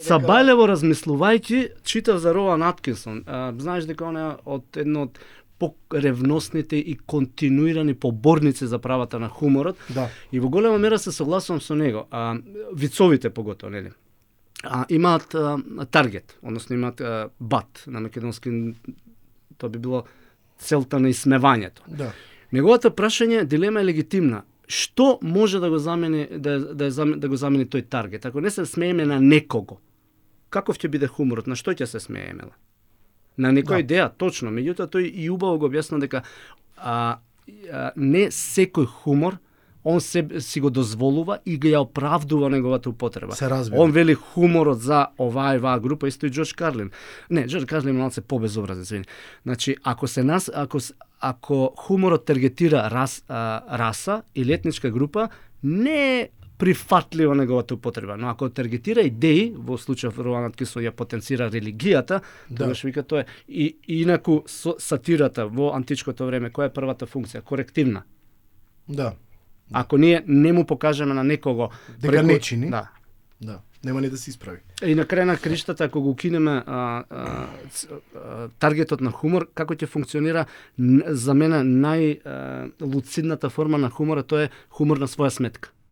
Сабајлево размислувајќи, читав за Роан Аткинсон. Знаеш дека он е од едно од поревносните и континуирани поборници за правата на хуморот. Да. И во голема мера се согласувам со него. Вицовите поготово, нели? Имаат таргет, односно имаат бат на македонски, тоа би било целта на исмевањето. Да. Неговото прашање, дилема е легитимна. Што може да го замени да го замени тој таргет? Ако не се смееме на некого, каков ќе биде хуморот? На што ќе се смееме? На некоја идеја, точно. Меѓутоа тој и убаво го објасна дека не секој хумор он си го дозволува и го ја оправдува неговата употреба. Се разбира. Он вели хуморот за оваа и оваа група, исто и Џорџ Карлин. Не, Џорџ Карлин малце побезобразен, извини. Значи, ако хуморот таргетира раса или етничка група, не е прифатлива неговата употреба, но ако таргетира идеи, во случајов Роан Аткинсон ја потенцира религијата, тогаш вика тоа е. И инаку сатирата во античкото време, која е првата функција? Корективна. Да. Ако ние не му покажеме на некого дека не чини, да, нема ни да се исправи. И на крај на криштата, ако го укинеме таргетот на хумор, како ќе функционира, за мене најлуцидната форма на хумора, тоа е хумор на своја сметка.